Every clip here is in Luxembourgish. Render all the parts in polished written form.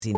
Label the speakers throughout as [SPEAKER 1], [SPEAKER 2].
[SPEAKER 1] Sinn.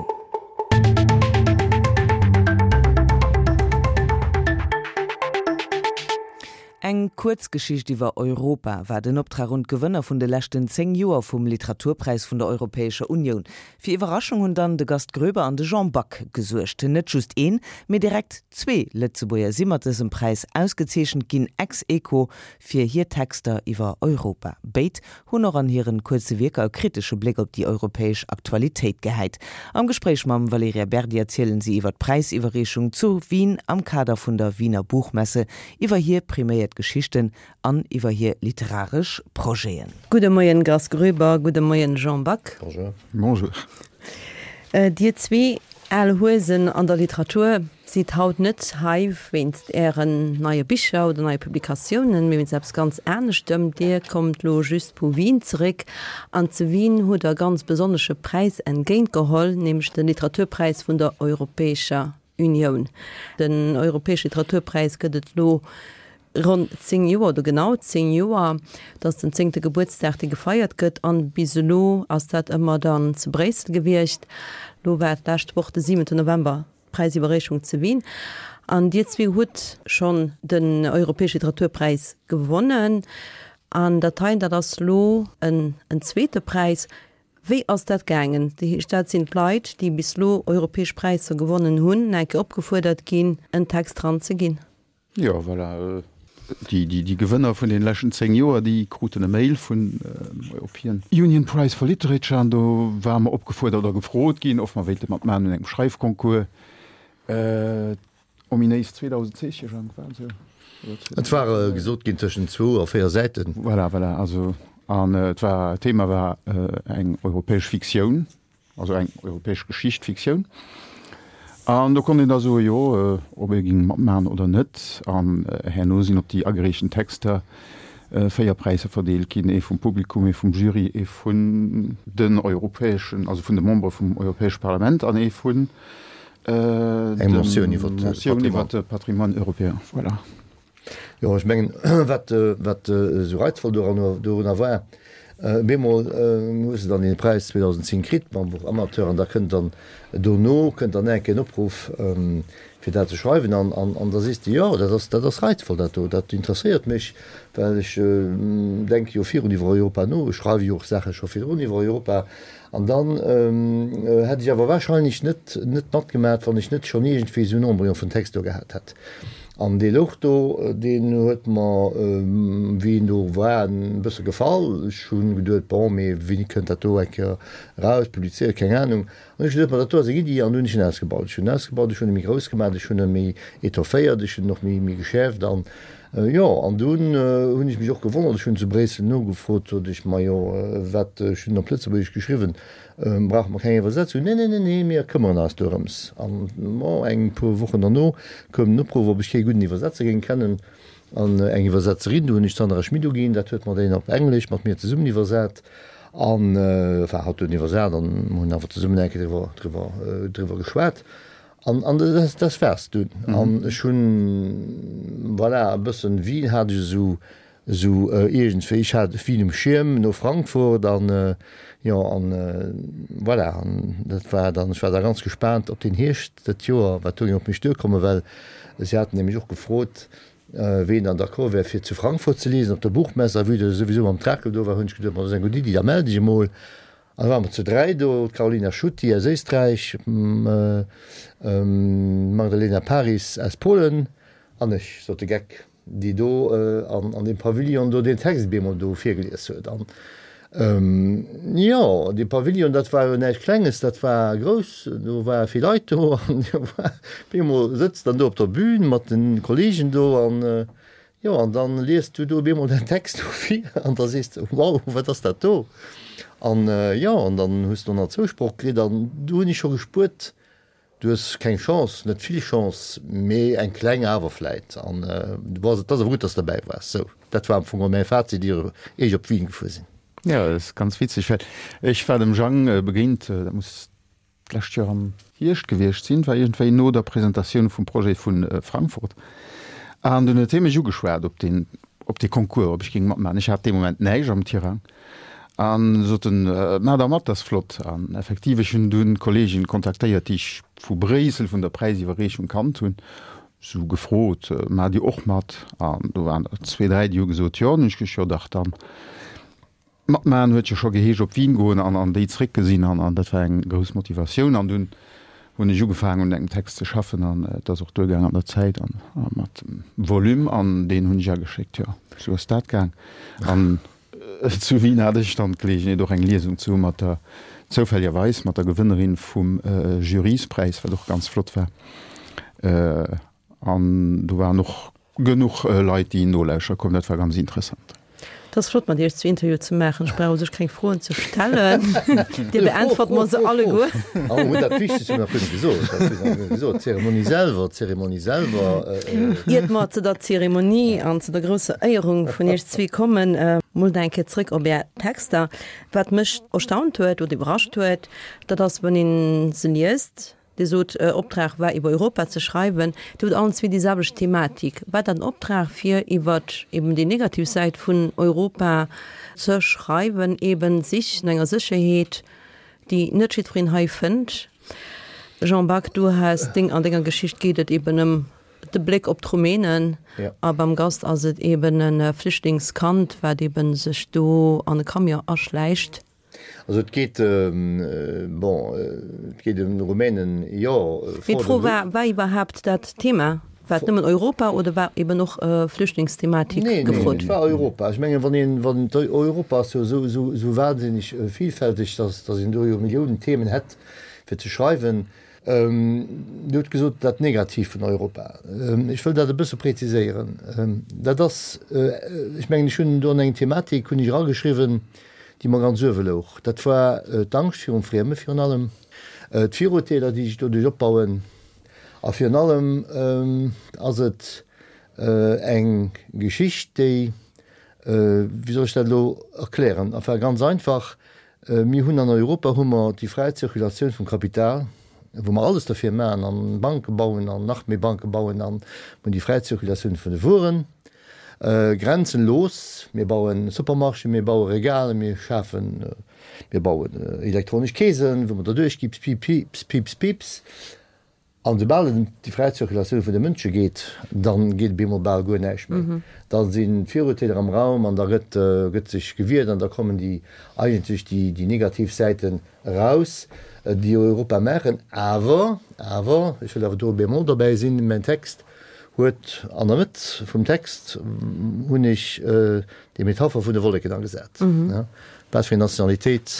[SPEAKER 1] Eng Kuerzgeschicht iwwer Europa war den Optrag un d'Gewënner vun de leschten 10 Joer vum Literaturpräis vun der Europäescher Unioun. Fir Iwwerraschung hunn dann de Gast Groeber an de Jean Back gesuergt. Net just een, mee direkt zwee Lëtzebuerger si mat dësem Präis ausgezeechent ginn, ex aequo fir hir Texter iwwer Europa. Béid hunn och an hiren kuerze Wierker e kritesche Bléck op déi europäesch Aktualitéit gehäit. Am Gespréich mam Valerija Berdi erzielen si iwwer d'Präisiwwerreechung zu Wien am Kader vun der Wiener Buchmesse, iwwer hir priméiert Geschichten an iwwer hir literaresch Projeten.
[SPEAKER 2] Gudde Moien Grass Gröber, gudde Moien Jean Back.
[SPEAKER 3] Bonjour. Bonjour.
[SPEAKER 2] Dir zwee al Huesen an der Literatur sidd haut net hei wéinst Ären neie Bicher oder neie Publikatiounen, mee wéinst eppes ganz aneschtem. Dir kommt lo just vu Wien zeréck an zu Wien hutt der e ganz besonnesche Präis entgéintgeholl, nämlech de Literaturpräis vun der Europäescher Unioun. Den Europäesche Literaturpräis gëtt et lo ronn 10 Joer oder genau 10 Joer. Et ass den zéngte Gebuertsdag, dee gefeiert gëtt an bis elo ass dat ëmmer dann zu Bréissel gewiescht. Lo war d'lescht Woch de siwente November d'Präisiwwerreechung zu Wien an Dir zwee hutt schonn den Europäesche Literaturpräis gewonnen an dat heien, dat ass lo en zweete Präis. Wéi ass dat gaangen? Dat heescht, dat sinn d'Leit, déi bis elo europäesch Präisser gewonnen hunn, eng Kéier opgefuerdert ginn, en Text dran ze ginn.
[SPEAKER 3] Jo, voilà. Déi Gewënner vun den leschten 10 Joer, déi kruten e Mail vun European Union Prize for Literature an do ware mer opgefuerdert oder gefrot ginn, of mer wéilte matmaachen un engem Schreifconcours. Ominéis 2000 Zeeche, Jean, war esou?
[SPEAKER 4] Et war gesot ginn tëschent zwou a véier Säiten.
[SPEAKER 3] Voilà, voilà. Also, an et war, d'Thema war eng europäesch Fiktioun. Also eng europäesch Geschicht, Fiktioun. An do konnt een da soen, jo, ob ee géing matmaachen oder net. An herno sinn op déi agereechten Texter 4 Präisser verdeelt ginn, ee vum Publikum, ee vum Jury, ee vun den europäeschen, also vun de Membere vum Europäesche Parlament an ee vun
[SPEAKER 4] Eng Motioun iwwer
[SPEAKER 3] de Patrimoine européen. Voilà.
[SPEAKER 4] Jo, ech mengen, wat, wat esou reizvoll dorunner war, bemol hues de dann dee Präis 2010 kritt mam Buch Amateur an da kënnt dann dono kënnt dann enk en Opruff, fir dat ze schreiwen an, an, an da sees de, jo, dat ass, dat ass reizvoll dat do, dat interesséiert mech, well ech denke jo virun iwwer Europa no, ech schreiwe jo och Saache scho virdrun iwwer Europa An dann hätt ech awer wahrscheinlech net net matgemat, wann ech net schonn iergendwéi esou en Embryon vun Text do gehat hätt. An dee louch do, deen huet mer, wéi en do war, e bësse gefall. Ech hu geduet, bon, mee wéini kënnt dat do eng Kéier eraus, publizéiert, keng Anung. An ech hu geduet, ma dat do ass eng Iddi, an du hunn ech en ausgebaut. Ech hunn en ausgebaut, ech hunn e méi grouss gemaach, ech hunn e méi etofféiert, ech hunn en och méi méi geschäerft an Jo, an dunn hunn ech mech och gewonnert, ech hunn zu Bréissel nogefrot, sot ech, majo, wat, ech hunn op Lëtzebuergesch geschriwwen, brauche mer keng Iwwersetzung? Nee, nee, nee, nee, mir këmmeren eis dorëms. An, bon, eng puer Wochen derno koum den Opruff, ob ech kee gudden Iwwersetzer géing kennen an eng Iwwersetzerin. Du hunn ech d'Sandra Schmit uginn, dat huet mer déi op Englesch mat mir zesummen iwwersat an, enfin, hatt huet en iwwersat an mer hunn awer zesummen eng Kéier driwwer, driwwer, driwwer geschwat. An, an das, das war's dunn. An ech hunn, voilà, e bëssen Wien hat ech esou, esou iergendwéi, ech hat Wien um Schierm no Frankfurt an, jo, an voilà, an dat war dann, ech war da ganz gespaant op den Hierscht dat Joer, wat do géing op mech duerkommen, well si haten nämlech och gefrot, ween dann d'accord wär fir zu Frankfurt ze liesen op der Buchmesse. A vue dass ech souwisou mam Trakel do war, hunn ech geduet, ma dat ass eng gutt Iddi, da mell dech emol. An da ware mer zu 3 do, d'Karolina Schutti aus Éisträich, d'Magdalena Paris aus Polen an ech, sot de Geck, déi do an deem Pavillon do deen Text bemol do virgelies huet. An jo, dee Pavillon, dat war jo näischt Klenges, dat war grouss, do ware vill Leit do an jo, bemol sëtzt dann do op der Bühn mat de Kollegen do an Jo, an dann liest du do op eemol däin Text do vir an da sees de, Wow, wat ass dat do? An jo, an dann hues de och nach Zousproch kritt an du hunn ech scho gespuert, du hues keng Chance, net vill Chance, mee eng kleng awer vläit. An du bass, et ass awer gutt, dass de derbäi waars. Sou, dat war am Fong och mäi Fazit, ier ech op Wien gefuer sinn.
[SPEAKER 3] Jo, dat ass ganz witzeg, well ech war dem Jang begéint, dat muss d'lescht Joer am Hierscht gewiescht sinn, war iergendwéi no der Presentatioun vum Projet vu Frankfurt, an dunn huet hie mech ugeschwat op deen, op dee Concours, ob ech géing matmaachen. Ech hat dee Moment näischt am Tirang. An sot en, Maach der mat, dat ass flott. An effektiv, ech hunn dunn d'Kolleegin kontaktéiert, déi ech vu Bréissel, vun der Präisiwwerreechung kannt hunn, sou gefrot, Maacht Dir och mat? An do waren der zwee, dräi, déi hu gesot, Jo. An hunn ech gesot, Jo dach, dann matmaachen huet jo scho geheescht op Wien goen an an déi zréckgesinn. An an dat war eng grouss Motivatioun. An dunn hunn ech ugefaangen un engem Text ze schaffen an et ass och duergaang an der Zäit an a mat dem Volume an deen hunn ech ageschéckt. Jo, sou ass dat gaang. An Zu Wien hat ech dann d'Geleegenheet och eng Liesung ze hu mat der, zoufälligerweis mat der Gewënnerin vum Juryspräis, wat och ganz flott war. An do waren och genuch Leit, déi nolauschere koumen. Dat war ganz interessant.
[SPEAKER 2] Et ass flott mat Iech zu Interview ze maachen. Ech brauch u sech keng Froen ze stellen. Dir beäntwert mer se alleguer.
[SPEAKER 4] A mer hunn dat Wichtegst hunn nach guer net gesot. Dat hunn mer nach net gesot. D'Zeremonie selwer, d'Zeremonie selwer.
[SPEAKER 2] Iert mer zu der Zeremonie an zu der grousser Éierung vun Iech zwee kommen, mol nach eng Kéier zrëck op Är Texter. Wat mech erstaunt huet oder iwwerrascht huet, dat ass, wann ee se liest, Dir sot, Optrag war iwwer Europa ze schreiwen. Dir hutt allen zwee déi selwecht Thematik. War dat en Optrag fir iwwer eben déi negativ Säit vun Europa ze schreiwen, eben d'Sich no enger Sécherheet, déi net jiddwereen hei fënnt? Jean Back, du has deng, an denger Geschicht geet et eben ëm de Bléck op d'Rumänen a beim Gast ass et eben e Flüchtlingskand, wat eben sech do an e Camion aschläicht.
[SPEAKER 4] Also et geet, bon, et geet ëm Rumänen, jo.
[SPEAKER 2] Mee d'Fro war, war iwwerhaapt dat Thema, war et nëmmen Europa oder war eben och Flüchtlingsthematik
[SPEAKER 4] gefrot? Nee, et war Europa. Ech mengen, wann een, wann Europa ass jo esou, esou, esou wahnsinneg vielfälteg, dass, dass een do jo Milliounen Themen hätt fir ze schreiwen. Dir hutt gesot, dat Negativt vun Europa. Ech wëll dat e bësse präziséieren. Dat ass, ech mengen, ech hunn do an eng Thematik hunn ech erageschriwwen, déi mer ganz uewe louch. Dat war d'Angscht virum Frieme virun allem, d'Virurteeler, déi sech doduerch opbauen. A virun allem ass et eng Geschicht, déi, wéi soll ech dat elo erklären, enfin ganz einfach, Mir hunn an Europa hu mer déi fräi Zirkulatioun vum Kapital, wou mer alles derfir maachen an Banke bauen an nach méi Banke bauen an mer hunn déi fräi Zirkulatioun vun de Wueren, grenzenlos. Mir bauen Supermarchéen, mir baue Regalen, mir schafen, mir bauen elektronesch Keesen, wou mer derduerch gi, pips, pips, pips. An soubal et ëm déi fräi Zirkulatioun vun de Mënsche geet, da geet op eemol bal guer näischt méi. Da sinn d'Virurteeler am Raum an da gëtt gëtt sech gewiert an da kommen déi eigentlech déi déi negativ Säiten eraus, déi Europa maachen. Awer, awer, ech wëll awer do e Bémol dobäi sinn, mäin Text huet, an der Mëtt vum Text hunn ech déi Metapher vun de Wolleken agesat. Wat fir eng Nationalitéit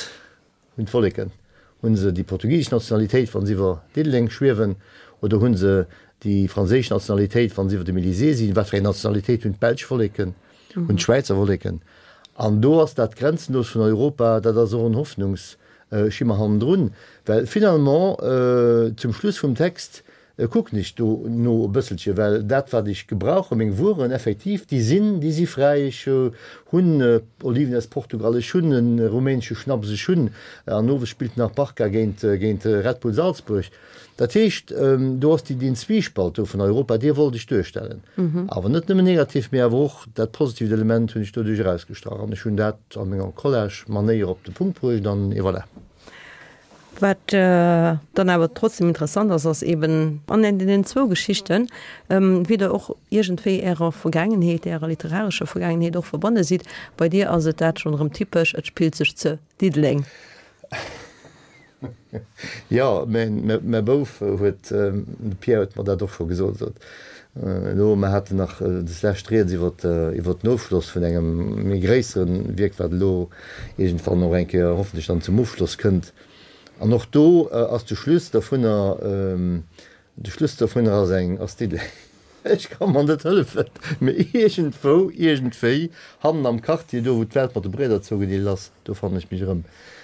[SPEAKER 4] Hunn d'Wolleken, hunn se déi portugisesch Nationalitéit, wann se iwwer Diddeleng schwiewen, oder hunn se déi franséisch Nationalitéit, wann se iwwer dem Elysée sinn? Wat fir eng Nationalitéit hunn d'belsch Wolleken, hunn d'Schwäizer Wolleken? An do ass dat Grenzenlos vun Europa, dat ass och en Hoffnungsschimmer hannendrun, well finalement zum Schluss vum Text Kucken ech do no e bësselche, well dat wat ech gebrauchen, meng Wueren effektiv, déi sinn, déi si fräi. Ech hunn Oliven aus Portugal, ech hunn e rumänesche Schnaps, ech hunn, an owes spillt nach Barca géint, géint Red Bull Salzburg. Dat heescht, do ass déi, deen Zwiespalt do vun Europa, dee wollt ech duerstellen. Awer net nëmmen negativ, mee awer och dat positiivt Element hunn ech doduerch erausgestrach an ech hunn dat a menger Collage-Manéier op de Punkt bruecht an et voilà.
[SPEAKER 2] Wat dann awer trotzdem interessant ass, ass eben an deenen zwou Geschichten, wéi Der och iergendwéi Ärer Vergaangenheet, Ärer literarescher Vergaangenheet och verbonne sidd. Bei dir ass et dat schonn erëm typesch, et spillt sech ze Diddeleng.
[SPEAKER 4] Jo, mäi Bouf huet, de Pierre huet mer dat och scho gesot, sot elo, mer haten nach deslescht rieds iwwer den Ofschloss vun engem méi gréissere Wierk, wat elo iergendwann och eng Kéier hoffentlech dann zum Ofschloss kënnt. An och do ass de Schluss dovunner, de Schluss dovunner ass eng, ass Diddeleng. Ech ka mer net hëllefen, mee iergendwou, iergendwéi, hannen am Quartier, do wou d'Welt mat de Brieder zougedeelt ass, do fannen ech mech erëm.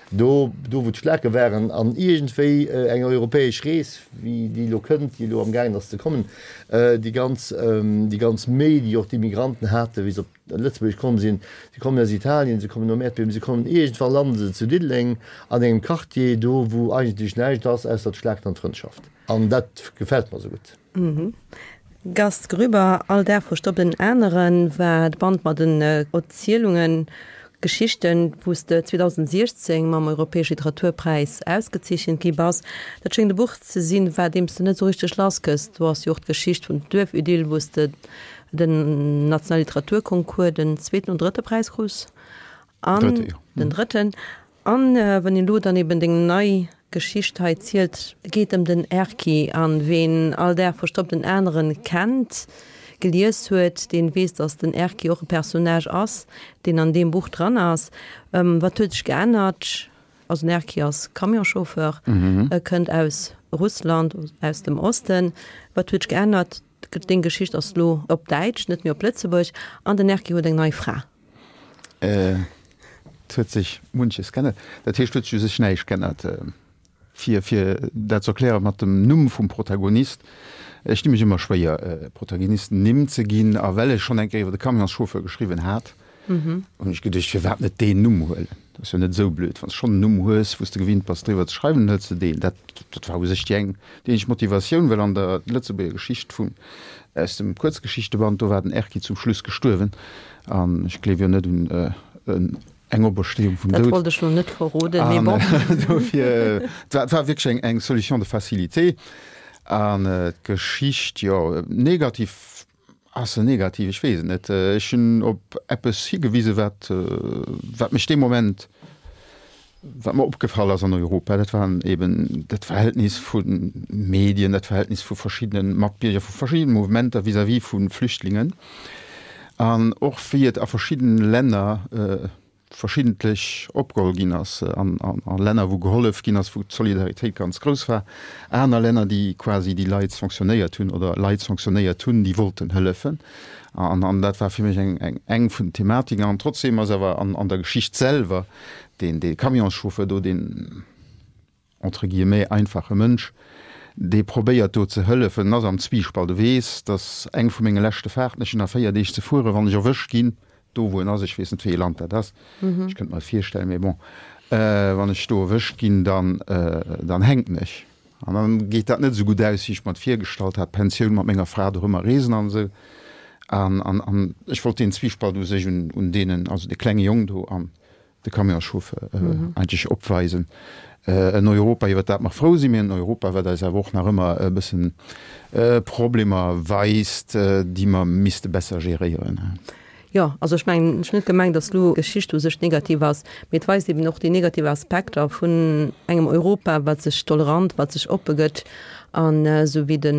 [SPEAKER 4] Do, do wou d'Schlake waren an iergendwéi eng europäesch Rees, wéi déi elo kënnt, déi elo amgaangen ass ze kommen, déi ganz, déi ganz Méi, déi och d'Immigranten haten, wéi se op Lëtzebuerg komm sinn, se kommen aus Italien, se kommen nom Äerdbiewen, se kommen iergendwann landen se zu Diddeleng an engem Quartier, do wou eigentlech näischt ass ausser d'Schlaken an d'Frëndschaft. An dat gefält mer esou gutt.
[SPEAKER 2] Gast Grüber, All Dag verstoppt en aneren war de Band mat den Erzielungen. Geschichten, wou s de 2016 mam Europäesche Literaturpräis ausgezeechent gi bass. Dat schéngt e Buch ze sinn, wat deem s de net esou richteg lass gëss. Do ass jo och d'Geschicht vun Duerfidyll, wou s de den nationale Literaturconcours den zweeten oder drëtte Präis krus. An den drëtten. An wann een elo dann eben deng nei Geschicht hei zielt, geet ëm den Erki. An ween All Dag verstoppt en aneren kennt, gelies huet, deen weess, dass den Erki och e Personnage ass, deen an deem Buch dran ass. Wat huet sech geännert? Also den Erki ass Camionschauffeur, e kënnt aus Russland, aus dem Osten. Wat huet sech geännert? Deng Geschicht ass lo op Däitsch, net méi op Lëtzebuerg. An den Erki huet eng nei Fra.
[SPEAKER 3] Et huet sech munches g'ännert. Dat heescht, et huet sech u sech näischt g'ännert. Fir, fir dat ze erklären mat dem Numm vum Protagonist, Ech di mech ëmmer schwéier, Protagonisten Nimm ze ginn. A well ech schonn eng Kéier iwwer de Camionschauffeur geschriwwen hat, hunn ech geduecht, firwat net deen Numm huelen? Dat ass jo net esou blöd. Wann s de schonn en Numm hues, wou s de gewinnt bass, driwwer ze schreiwen, dann hëls de deen. Dat, dat war u sech déi eng, déi eenzeg Motivatioun, well an der Lëtzebuerger Geschicht vun, aus dem Kuerzgeschichteband, do war den Erki zum Schluss gestuerwen. An ech gleef jo net un eng Opersteeung vum
[SPEAKER 2] Doud. Dat wollt ech lo net verroden, mee bon.
[SPEAKER 3] Dofir, et war wierklech eng Solution de facilité. An d'Geschicht, jo, negativ, ass se negativ? Ech weess et net. Ech hunn op eppes higewisen, wat, wat mech dee Moment, Wat mer opgefall ass an Europa, dat waren eben dat Verhältnis vu Medien, dat Verhältnis vu verschiddene Matbierger, vu verschiddene Mouvementer vis-à-vis vu Flüchtlingen an och wéi et a verschiddene Länner verschiddentlech opgeholl ginn ass, an a Länner wou gehollef ginn ass, wou d'Solidaritéit ganz grouss war, aner Länner déi quasi déi Leit sanctionnéiert hunn oder Leit sanctionnéiert hunn, déi wollten hëllefen. An dat war fir mech eng vun den Thematiken. An trotzdeem ass awer an der Geschicht selwer deen dee Camionschauffeur do, deen entre guillemets einfache Mënsch, dee probéiert do ze hëllefen, en ass am Zwiispalt, e weess, dass eng vu menge leschte Fahrten, ech hunn nach 4 Deeg ze fueren, wann ech erwëscht ginn, do wou en ass, ech weess net wéi ee Land dat ass, ech kënnt mer et virstellen, mee bon, wann ech do erwëscht ginn, dann dann hänken ech. An dann geet dat net esou gutt aus, wéi ech mer et virgestallt hat, Pensioun mat menger Fra dorëmmer reesen an esou. An an an ech wollt deen Zwiispalt u sech un un deenen, also de klenge Jong do an de Camionschauffeur eigentlech opweisen. En Europa, iwwer dat mer frou sinn, mee en Europa, wat eis awer och nach ëmmer e bëssen Problemer weist, déi mer misste besser geréieren.
[SPEAKER 2] Jo, also ech mengen, ech hunn net gemengt, datt elo d'Geschicht u sech negativ ass, mee et weist eben och déi negativ Aspekter vun engem Europa, wat sech tolerant, wat sech oppe gëtt an esou wéi de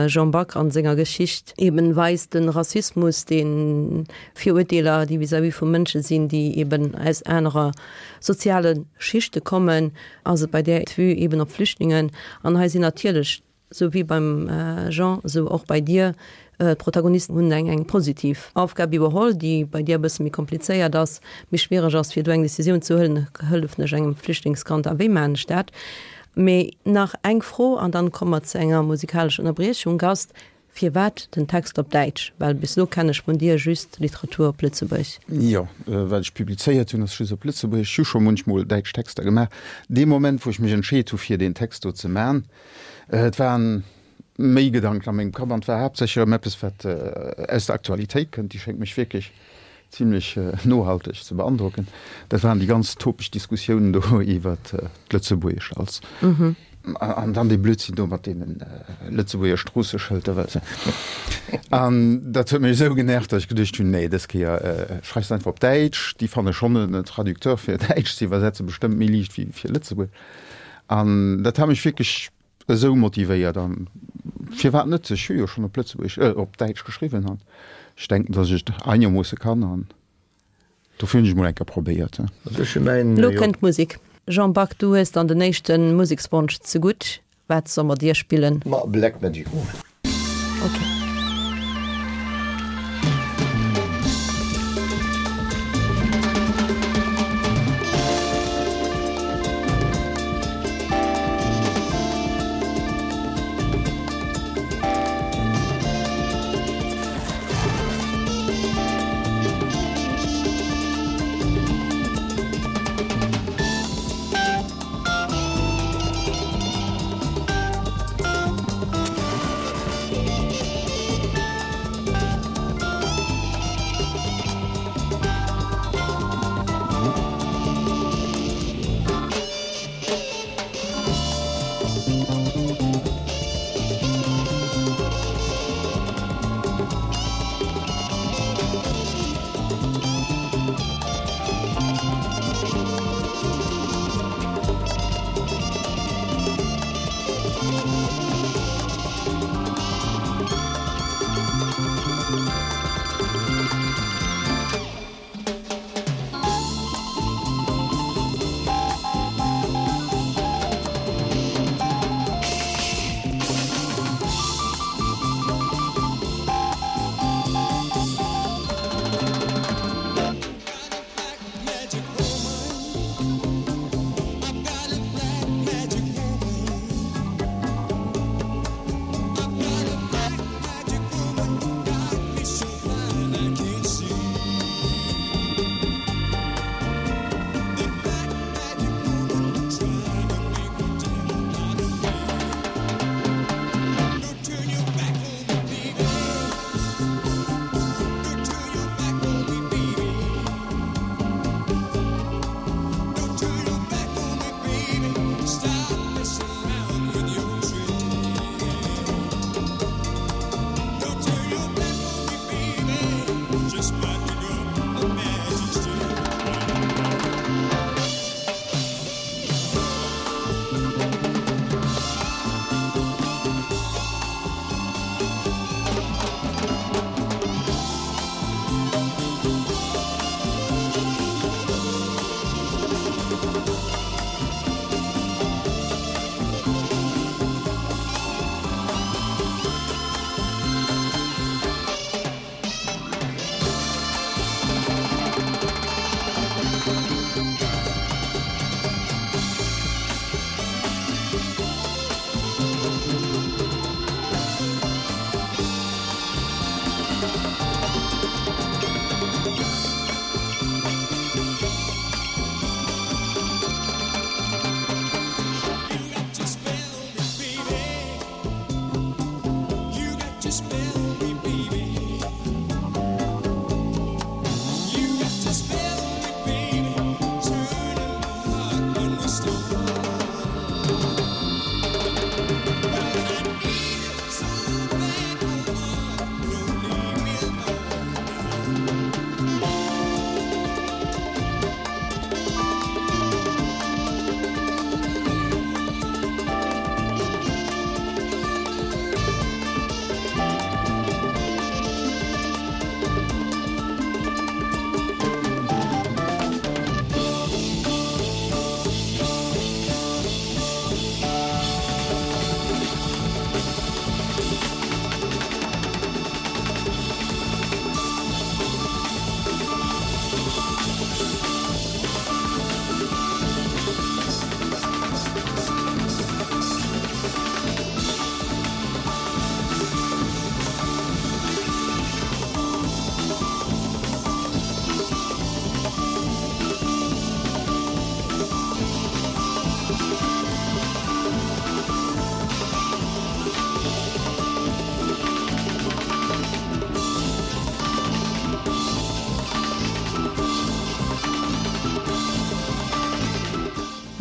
[SPEAKER 2] Jean Back a senger Geschicht eben weist, de Rassismus, dee Virurteeler, déi vis-à-vis vu Mënsche sinn, déi eben aus anerer soziale Schichte kommen, ass et bei där Vue eben op Flüchtlingen. An hei sinn natierlech, sou wéi beim Jean, sou och bei dir, d'Protagonisten hunn eng eng positiv Aufgab iwwerholl, déi bei dir e bësse méi komplizéiert ass, méi schwiereg ass, fir do eng Decisioun ze huelen, Hëllefen ech engem Flüchtlingskand a wéi maachen ech dat? Mee nach eng Fro an dann komme mer zu enger musikalescher Ënnerbriechung. Gast, Firwat den Text op Däitsch? Well bis elo kennen ech vun dir just Literatur op Lëtzebuerg.
[SPEAKER 3] Jo, wat ech publizéiert hunn, ass just op Lëtzebuergesch. Ech hu scho munchmol däitsch Texter gemaach. Dee Moment, wou ech mech entscheet hu fir deen Text do ze man, et waren méi Gedanken a mengem Kapp an et war haaptsächlech erëm eppes, wat aus der Aktualitéit kënnt. Déi schéngt mech wierklech zimlech nohalteg ze beandrocken. Dat waren déi ganz topeg Diskussiounen do iwwer d'Lëtzebuergesch als an dann dee Blödsinn do mat deene Lëtzebuerger Stroosseschëlter, well se an dat huet mech esou genervt, datt ech geduecht hunn, nee, dës Kéier schreifs de einfach op Däitsch, déi fanne schonn en Traducteur fir Däitsch ze iwwersetze bestëmmt méi liicht wéi fir Lëtzebuergesch. An dat hat mech wierklech esou motivéiert an firwat net, ech hu jo schonn op Lëtzebuergesch, äh op Däitsch geschriwwen an ech denken, datt ech et einermoosse kann an dofir hunn ech emol eng Kéier probéiert.
[SPEAKER 4] Also ech hu mäin,
[SPEAKER 2] Lo
[SPEAKER 4] jo.
[SPEAKER 2] kënnt d'Musek. Jean Back, du hues dann den éischte Musekswonsch zegutt. Wat soll mer dir spillen?
[SPEAKER 4] Ma Black Magic Woman.
[SPEAKER 2] Ok.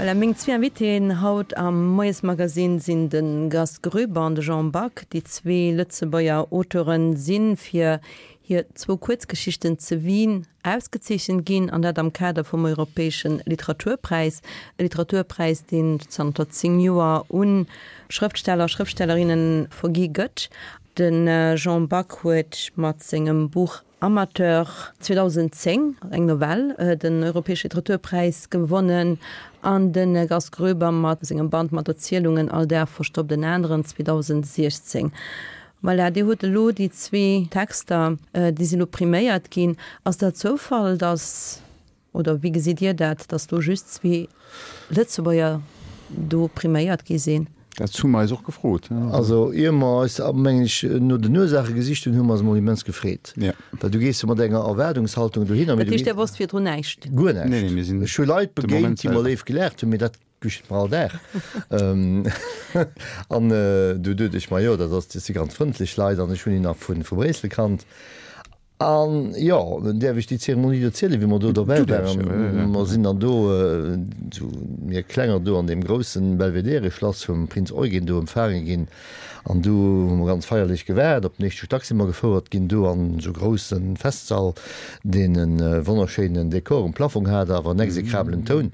[SPEAKER 2] Voilà, meng zwee Invitéen haut am Moiesmagazine sinn de Gast Groeber an de Jean Back. Déi zwee Lëtzebuerger Auteuren si fir hir zwou Kuerzgeschichten zu Wien ausgezeechent ginn, an dat am Kader vum Europäesche Literaturpräis, e Literaturpräis, deen zanter 10 Joer u Schrëftsteller a Schrëftstellerinne vergi gëtt. De Jean Back huet mat sengem Buch Amateur 2010, eng Novell, den Europäesche Literaturpräis gewonnen an de Gast Groeber mat sengem Band mat Erzielungen All Dag verstoppt en aneren 2016. Voilà, Dir hutt elo déi zwee Texter, déi sinn elo priméiert ginn. Ass dat Zoufall, datt, oder wéi gesitt Dir dat, datt do just zwee Lëtzebuerger do priméiert gi sinn?
[SPEAKER 3] Dat hu mer eis och gefrot.
[SPEAKER 4] Also ier mer eis, mengen ech, no den Ursaache gesicht hunn, hu mer eis emol immens gefreet. Well du gees jo mat enger Erwaardungshaltung dohinner.
[SPEAKER 2] Dat heescht, Dir wosst virdrun näischt?
[SPEAKER 4] Guer näischt. Ech hu Leit begéint, déi mer léif gelaacht hunn, mee dat geschitt mer all Dag. An du duet ech mer, jo, dat ass, dat si ganz frëndlech Leit an ech hunn déi nach vu Bréissel kannt. An jo, däerf ech déi Zeremonie do zielen, wéi mer do dobäi waren? Mer sinn dann do, esou mir Klenger do an deem groussen Belvedere-Schlass vum Prinz Eugen do empfaange ginn. An du hu mer ganz feierlech gewaart. Op den éischte Stack si mer gefouert ginn, do an esou grousse Festsall, deen e wonnerschéinen Dekor um Plafong hat, awer en exekrabelen Toun.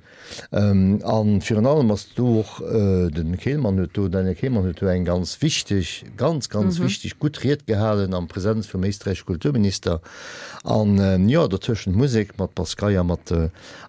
[SPEAKER 4] A virun allem ass do och, de Kehlmann huet do, Daniel Kehlmann huet do eng ganz wichteg, ganz, ganz wichteg gutt Ried gehalen am Präsenz vum éisträichesche Kulturminister. An jo, dertëschent Musek mat Bass-Gei a mat,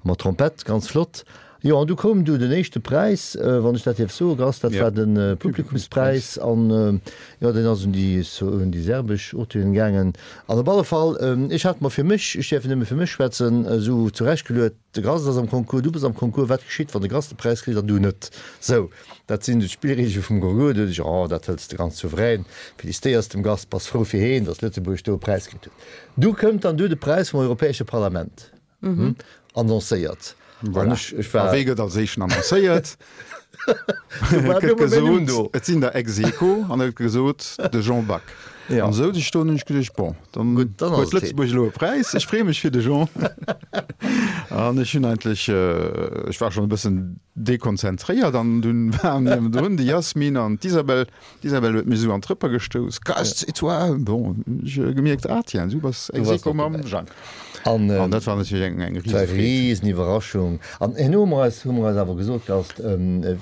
[SPEAKER 4] mat Trompett, ganz flott. Jo, an du koum du den éischte Präis, wann ech dat dierf soen, Gast, dat war de Publikumspräis. An jo, deen ass un déi, un déi serbesch Auteuren gaangen. An op alle Fall, ech hat mer fir mech, ech däerf nëmme fir mech schwätzen, esou zurechtgeluet, De Gast ass am Concours, du bass am Concours, wat geschitt, wann de Gast de Präis kritt an du net? Sou, dat sinn d'Spillreegele vum Concours. Du hues ech, oh, dat hëls de ganz souverän, felicitéiers dem Gast, bass frou fir heen, datt Lëtzebuerg do e Präis kritt huet. Du kënnt dann du de Präis vum Europäesche Parlament annoncéiert.
[SPEAKER 3] An ech, ech war. A wee gëtt als éischten annoncéiert? Et gëtt gesot, et sinn der ex aequo an et gëtt gesot, de Jean Back. An esou sech do hunn ech geduecht, bon, dann huet Lëtzebuerg elo e Präis. Ech freeë mech fir de Jean. An ech hunn eigentlech, ech war schonn e bëssen dekonzentréiert an dunn waren niewendrun de Yasmine an d'Isabel. D'Isabel huet mech esou an d'Rëpper gestouss, Gast, c'est toi! Bon, hunn ech gemierkt, ah tiens, du bass ex aequo mam Jang. An dat war natierlech eng eng
[SPEAKER 4] risefreed. Riseniwwerraschung. An herno hu mer eis, hu mer eis awer gesot, Gast,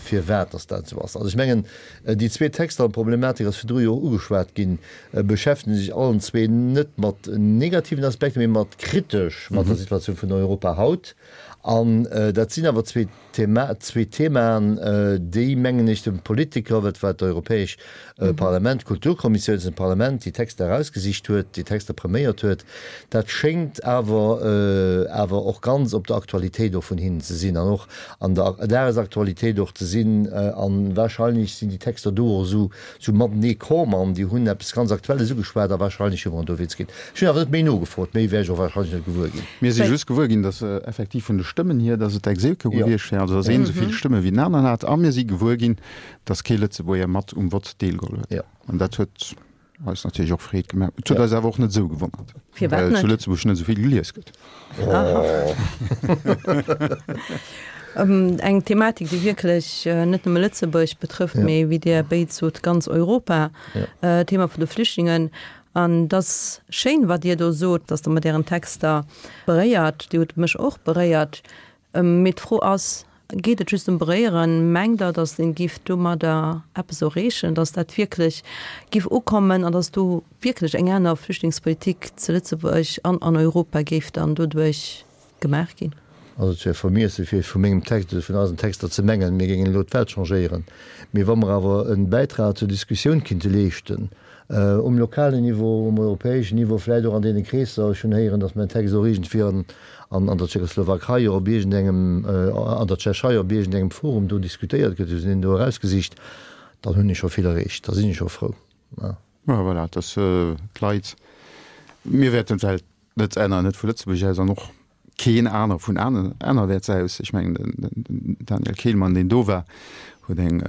[SPEAKER 4] firwat dass dat esou ass. Also ech mengen, déi zwee Texter, an d'Problematik ass virdru jo och ugeschwat ginn, beschäftegen sech allen zwee net mat negativen Aspekter, mee mat kritesch mat der Situatioun vun Europa haut. An dat sinn awer zwee Thema, zwee Themaen, déi, mengen ech, dem Politiker, dat war d'Europäesch Parlament, d'Kulturkommissioun zum Parlament, déi Texter erausgesicht huet, déi Texter präméiert huet, dat schéngt awer, awer och ganz op der Aktualitéit och vun hinnen ze sinn an och an der Dagesaktualitéit och ze sinn. A wahrscheinlech sinn déi Texter do och esou, esou matenee komm an déi hunn eppes ganz Aktuelles ugeschwat a wahrscheinlech hu mer dowéinst kritt. Ech hunn awer net méi nogefrot, méi wär ech och wahrscheinlech net gewuer ginn.
[SPEAKER 3] Mir si just gewuer ginn, datt effektiv vun de Stëmmen hier, datt et ex aequo gewiescht wär, also datt een esou vill Stëmme wéi den aneren hat. A mir si gewuer ginn, datt kee Lëtzebuerger mat um Vott deelgeholl huet. An dat huet eis natierlech och Freed gemaach. Et huet eis awer och net esou gewonnert,
[SPEAKER 2] well
[SPEAKER 3] zu Lëtzebuerg net esou vill gelies gëtt.
[SPEAKER 2] Eng Thematik, déi wierklech net nëmme Lëtzebuerg betrëfft, mee wéi Dir béid sot, ganz Europa, d'Thema vun de Flüchtlingen. An et ass schéin, wat Dir do sot, dass Der mat Ären Texter beréiert. Dir hutt mech och beréiert. Mee d'Fro ass, Geet et just ëm beréieren? Mengt Der, dass een giff domadder eppes erreechen, dass dat wierklech giff ukommen an dass do wierklech eng aner Flüchtlingspolitik zu Lëtzebuerg an an Europa géif dann doduerch gemaach ginn?
[SPEAKER 4] Also et wär vermiesse fir vu mengem Text oder vun eisen Texter ze mengen, mir géingen elo d'Welt changéieren. Mee wa mer awer e Bäitrag zur Diskussioun kinnte leeschten, um lokalen Niveau, um europäeschen Niveau, vläicht och an deene Kreesser, ech hunn héieren, datt mäin Text och iergendwéi an an der Tschechoslowakei op iergendengem, an der Tschechei op iergendengem Forum do diskutéiert gëtt, hu se deen do erausgesicht, dann hunn ech scho vill erreecht, da sinn ech scho frou.
[SPEAKER 3] Jo, voilà, dass d'Leit, mir wäerten d'Welt net änneren, net vu Lëtzebuerg aus an och keen aner vun anerwäerts aus. Ech mengen, den Daniel Kehlmann, deen do war, huet eng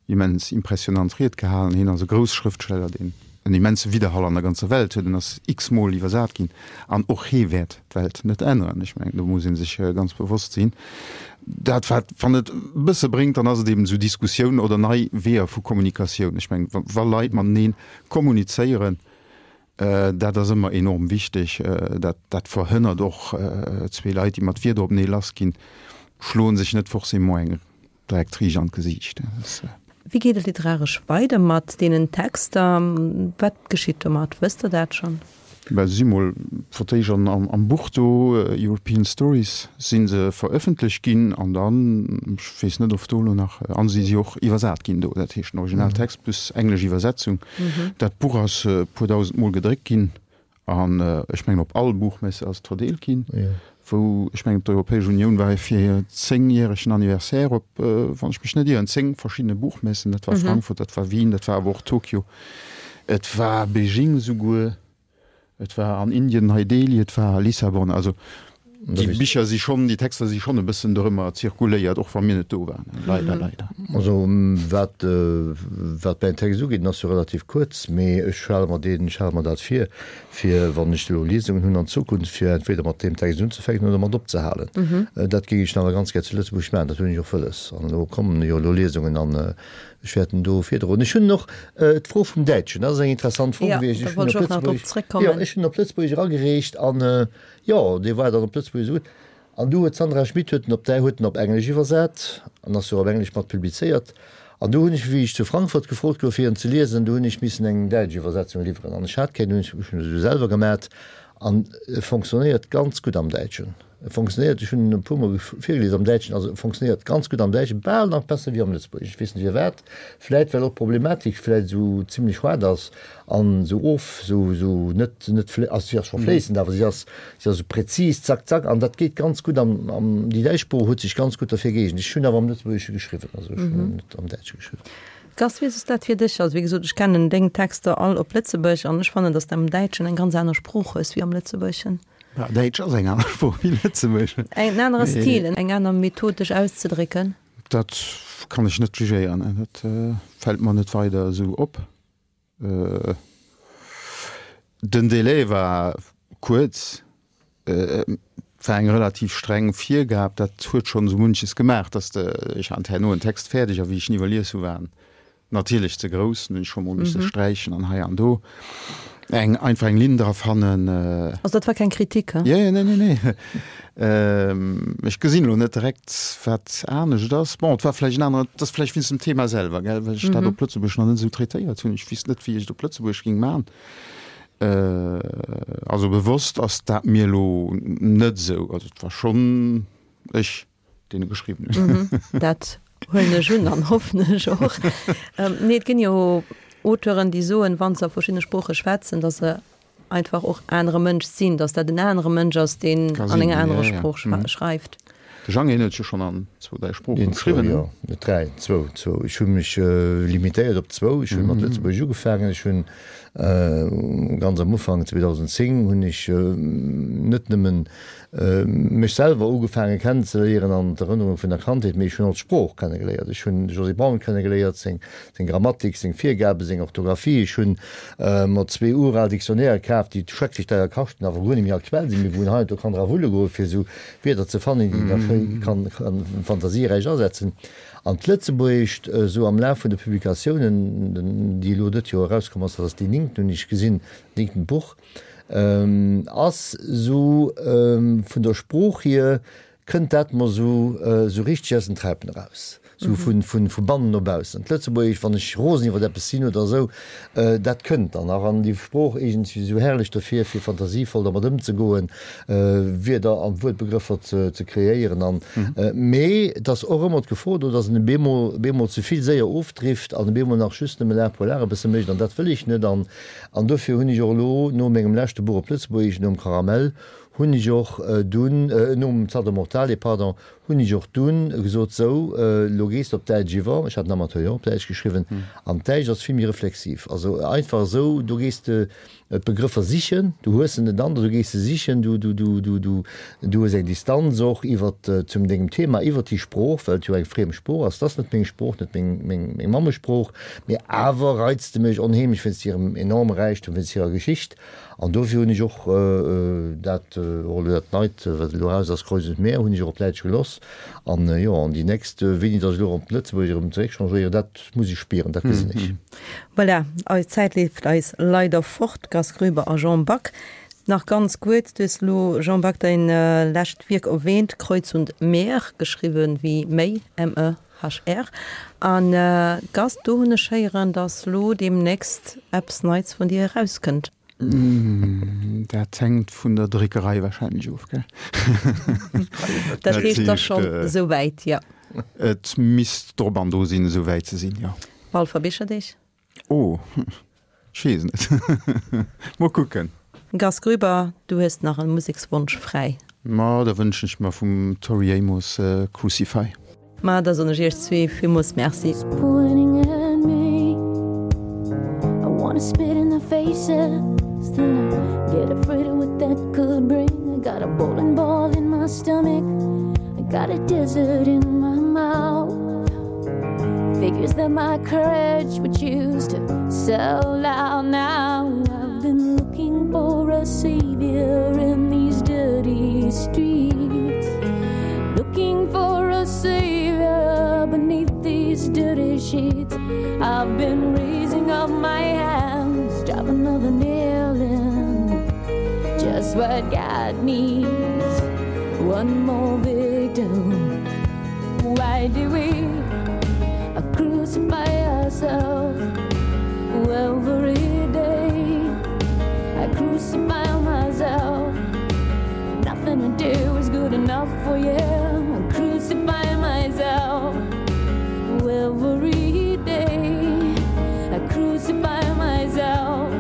[SPEAKER 3] immens impressionant Ried gehalen. Hien ass e grouss Schrëftsteller, deen. en immense Widderhall an der ganzer Welt huet. En ass x-mol iwwersat ginn an och hee wäert d'Welt net änneren. Ech mengen, do muss ee sech ganz bewosst sinn. Dat wat, wann et e bësse bréngt, dann ass et eben esou Diskussioun oder nei Weeër vu Kommunikatioun. Ech mengen, wa Leit matenee kommunizéieren, dat ass ëmmer enorm wichteg. Dat, dat verhënnert och zwee Leit, déi mat Wierder openee lassginn, schloe sech net forcément eng direkt riicht an d'Gesiicht.
[SPEAKER 2] Wéi geet et literaresch weider mat deenen Texter? Wat geschitt domat? Wësst Der dat schonn?
[SPEAKER 3] Bah, se si mol fir d'éischt am Buch do, European Stories, si se verëffentlecht ginn an dann, ech weess net, of do elo nach, an si si och iwwersat ginn do, dat heescht den Originaltext plus englesch Iwwersetzung. Dat Buch ass e puer dausendmol gedréckt ginn an ech mengen op all Buchmesse ass et verdeelt ginn, wou, ech mengen d'Europäesch Unioun war fir hir zéngjäregen Anniversaire op, wann ech mech net ieren, 10 verschiddene Buchmessen, dat war Frankfurt, dat war Wien, dat war awer och Tokio. Et war Beijing esouguer, et war an Indien, Nei Delhi, et war Lissabon. Also déi Bicher si schonn, déi Texter si schonn e bëssen dorëmmer zirkuléiert, och wa mir net do waren. Leider, leider.
[SPEAKER 4] Also wat wat mäin Text ugeet, en ass jo relativ kuerz, mee ech hale mer deen, ech hale mer dat vir, fir wann ech elo Liesungen hunn an Zukunft, fir entweder mat deem Text unzefänken oder mat opzehalen. Dat géing ech nach ganz gär zu Lëtzebuerg maachen, dat hunn ech och wëlles. An elo kommen jo elo Liesungen an Ech wäert en do virdroen. Ech hunn och d'Fro vum Däitschen, dat ass eng interessant Fro gewiescht. Ech hunn op Lëtzebuergesch, jo, ech hunn op Lëtzebuergesch eragereecht an, jo, dee war dann op Lëtzebuergesch esou gutt. An du huet d'Sandra Schmit huet en op Dä huet en op Englesch iwwersat an ass jo op Englesch mat publizéiert. An du hunn ech, wéi ech zu Frankfurt gefrot gouf fir en ze liesen, du hunn ech missen eng däitsch Iwwersetzung liwweren an ech hat keng, du hunn ech ech hunn se du selwer gemat an e fonctionnéiert ganz gutt am Däitschen. E fonctionnéiert, ech hunn en e puer mol virgelies am Däitschen, also e fonctionnéiert ganz gutt am Däitschen, bal nach besser wéi am Lëtzebuergeschen. Ech weess net firwat, vläit well och d'Problematik vläit esou zimlech haart ass an esou of, esou, esou net, net, also si ass scho fléissend, awer si ass, si ass esou präzis, zack, zack, an dat geet ganz gutt am, am, déi däitsch Sprooch huet sech ganz gutt derfir gëeegent. Ech hunn awer am Lëtzebuergesche geschriwwen, also ech hunn net am Däitsche geschriwwen.
[SPEAKER 2] Gast, wéi ass dat fir dech? Also wéi gesot, ech kennen deng Texter all op Lëtzebuergesch an ech fannen, datt s de am Däitschen eng ganz aner Sprooch hues wéi am Lëtzebuergeschen.
[SPEAKER 3] Däitsch ass eng aner Sprooch wéi Lëtzebuergesch.
[SPEAKER 2] En anere Stil, eng aner Method dech auszedrécken?
[SPEAKER 3] Dat kann ech net jugéieren. Dat fält mer net weider esou op. Den Délai war kuerz, et war eng relativ streng Virgab. Dat huet schonn esou munches gemaach, datt de, ech hat herno en Text fäerdeg a wéi ech en iwwerlies hu war en Natierlech ze grouss, hunn ech scho mol misse sträichen an hei an do eng einfach eng Linn dra fannen.
[SPEAKER 2] Also dat war keng Kritik,
[SPEAKER 3] he? Jo, jo, nee, nee, nee. Ech gesinn elo net direkt, wat anescht ass. Bon, et war vläicht en aneren, et ass vläicht wéinst dem Thema selwer, gell, well ech dat op Lëtzebuergesch nach net esou traitéiert hunn. Ech weess net, wéi ech et op Lëtzebuergesch géing maachen. Also bewosst ass dat mir elo net esou. Also et war schonn ech. deen e geschriwwen
[SPEAKER 2] huet. Mhm, dat huelen ech un an hoffen ech och. Ähm, nee, et ginn jo Auteuren, déi soen, wann se a verschiddene Sprooche schwätzen, datt se einfach och anere Mënsch sinn, datt dat en anere Mënsch ass, deen an enger anerer Sprooch mhm. schreift.
[SPEAKER 3] De Jang hien huet jo schonn an zwou, dräi Sproochen geschriwwen.
[SPEAKER 4] Jo, net dräi, zwou, zwou. Ech hu mech äh, limitéiert op zwou. Ech hunn mat mhm. Lëtzebuergesch ugefaangen. Ech hunn äh, ganz am Ufank 2010 hunn ech äh, net nëmmen mech selwer ugefaange kennenzeléieren an d'Erënnerunge vun der Kandheet, mee ech hunn och d'Sprooch kennegeléiert. Ech hunn de Josy Braun kennegeléiert, seng seng Grammatik, seng Virgaben, seng Orthografie. Ech hunn mer zwee ural Dictionnairë kaf, déi schrecklech deier kaschten, awer guer net méi aktuell sinn, mee wou een hei an do kann dra wulle goen, fir esou Wierder ze fannen, déi een da schéi kann fantasieräich asetzen. An d'Lëtzebuergescht, esou am Laf vun de Publikatiounen, déi elo dëtt Joer erauskomm ass, dat ass déi néngten, hunn ech gesinn, néngtent Buch, Ass sou vun der Sprooch hier kënnt dat mer sou sou richteg aus den Träipen eraus, sou vu vu bannen no baussen. D'Lëtzebuergesch, wann ech rosen iwwer eppes sinn oder esou, dat kënnt dann nach. An déi Sprooch eegent sech esou herrlech dofir, fir fantasievoll dermat ëmzegoen, Wierder an Wuertbegrëffer ze ze kreéieren an. Mee et ass och ëmmer d'Gefor do, datt en e bemol bemol ze vill séier ofdrift an e bemol nach just nëmme l'art pour l'art e bësse mécht an dat wëll ech net. An An dofir hunn ech och elo no mengem leschte Buch op Lëtzebuergesch, nom Caramel, hunn ech och dunn, nom Salto Mortale, pardon, Hunn ech och dunn gesot, sou, elo gees de op Däitsch iwwer. Ech hat den Amateur jo och op Däitsch geschriwwen. An d'Däitsch ass vill méi reflexiv. Also einfach esou, do gees de d'Begrëffer sichen, du hues se net an der, du gees se sichen, du, du, du, du, du, du hues eng Distanz och iwwer zum dengem Thema, iwwer déi Sprooch, well et jo eng friem Sprooch ass. Et ass net meng Sprooch, net meng, meng, meng Mammesprooch, mee awer reizt se mech onheemlech wéinst hirem enorme Räichtum, wéinst hirer Geschicht. An dofir hunn ech och dat, och elo dat Neit, wat elo eraus ass, Kreuz und Meer, hunn ech och op Däitsch geloss. An jo, an déi nächst, wéini datt ech elo erëm op Lëtzebuergesch erëm zeréckchangéieren, dat muss ech spieren, dat gesinn ech.
[SPEAKER 2] Voilà, eis Zäit leeft eis leider fort. Gast Groeber a Jean Back, nach ganz kuerz, Du hues elo, Jean Back, däin lescht Wierk erwähnt, Kreuz und Meer, geschriwwen wéi Méi, M-E. HR, An Gast, do hunn ech héieren, dass lo deemnächst eppes Neits vun dir erauskënnt.
[SPEAKER 3] Dat hänkt vun der Dréckerei wahrscheinlech of, gell?
[SPEAKER 2] Dat heescht, et ass schonn esou wäit, jo.
[SPEAKER 3] Et misst drop an dru sinn, esou wäit ze sinn, jo.
[SPEAKER 2] Walfer Bicherdeeg?
[SPEAKER 3] Oh, ech weess net. Mol kucken.
[SPEAKER 2] Gast Grüber, du hues nach e Musekswonsch fräi.
[SPEAKER 3] Ma da wënschen ech mer vum Tori Amos Crucify.
[SPEAKER 2] Ma da soen ech iech zwee villmools Merci.
[SPEAKER 5] Figures that my courage would choose to sell out now. I've been looking for a savior in these dirty streets. Looking for a savior beneath these dirty sheets. I've been raising up my hands, drop another nail in. Just what God needs one more victim. Why do we crucify ourselves every day? I crucify myself. Nothing to do is good enough for you. I crucify myself every day. I crucify myself.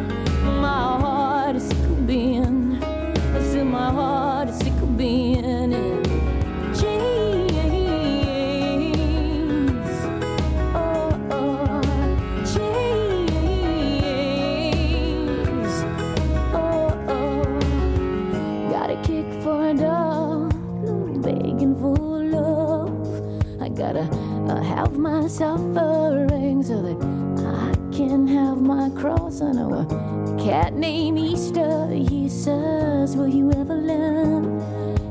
[SPEAKER 5] My heart is sick of being. I said my heart is sick of being in chains. Oh, oh, chains. Oh, oh. Got a kick for a dog, begging for love. I gotta uh, have my suffering so that I can have my cross. I know a cat named Easter. He says, Will you ever learn?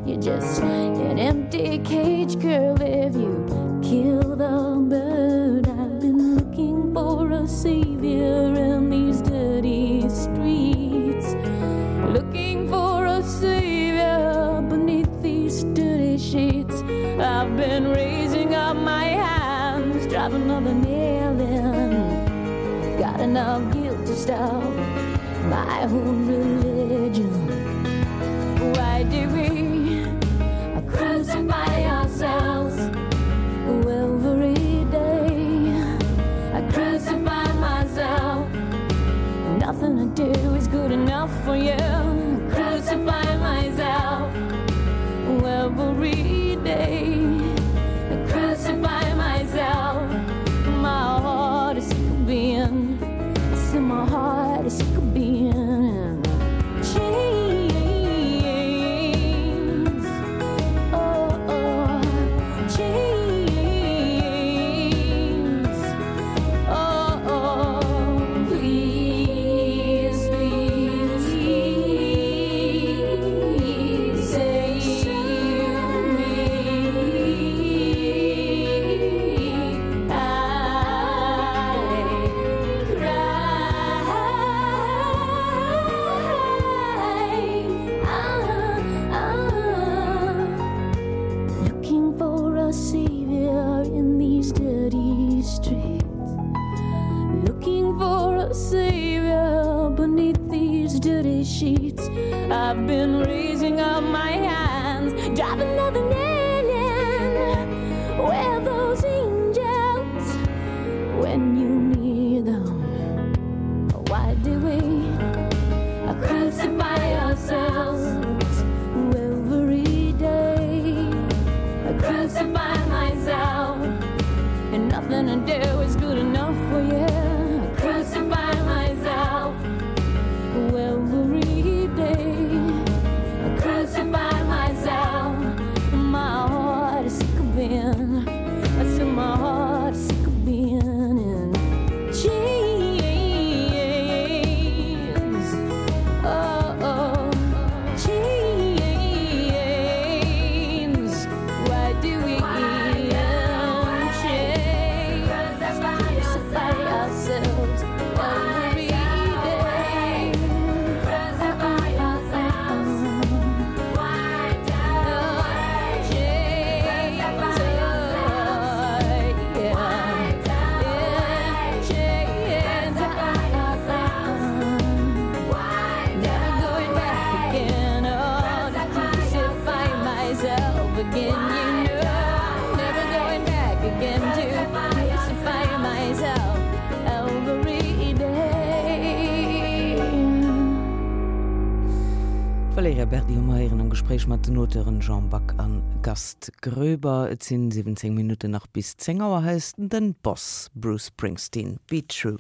[SPEAKER 5] You're just an empty cage girl if you kill the bird. I've been looking for a savior in these dirty streets. Looking for a savior beneath these dirty sheets. I've been raising up my hands, drive another nail in. Got enough guilt to stop my own religion. Why do we crucify ourselves every day? I crucify myself. Nothing I do is good enough for you. Crucify myself every day. I crucify myself. My heart is sick of being. I said my heart is sick of being in chains. Oh, oh, chains. Oh, oh, please, please, please save me. I cry. Ah, ah. Looking for a savior in these dirty streets. Looking for a savior beneath these dirty sheets. I've been raising up my hands, drive another nail in. Where those angels when you need them? Why do we crucify ourselves every day? I crucify. again. You know I'm never going back again to crucify myself every day.
[SPEAKER 1] D'Valerija Berdi hu mer héieren am Gespréich mat den Auteuren Jean Back an Gast Groeber. Et sinn 17 Minutten nach bis 10 Auer. Hei ass den Boss Bruce Springsteen, Be True.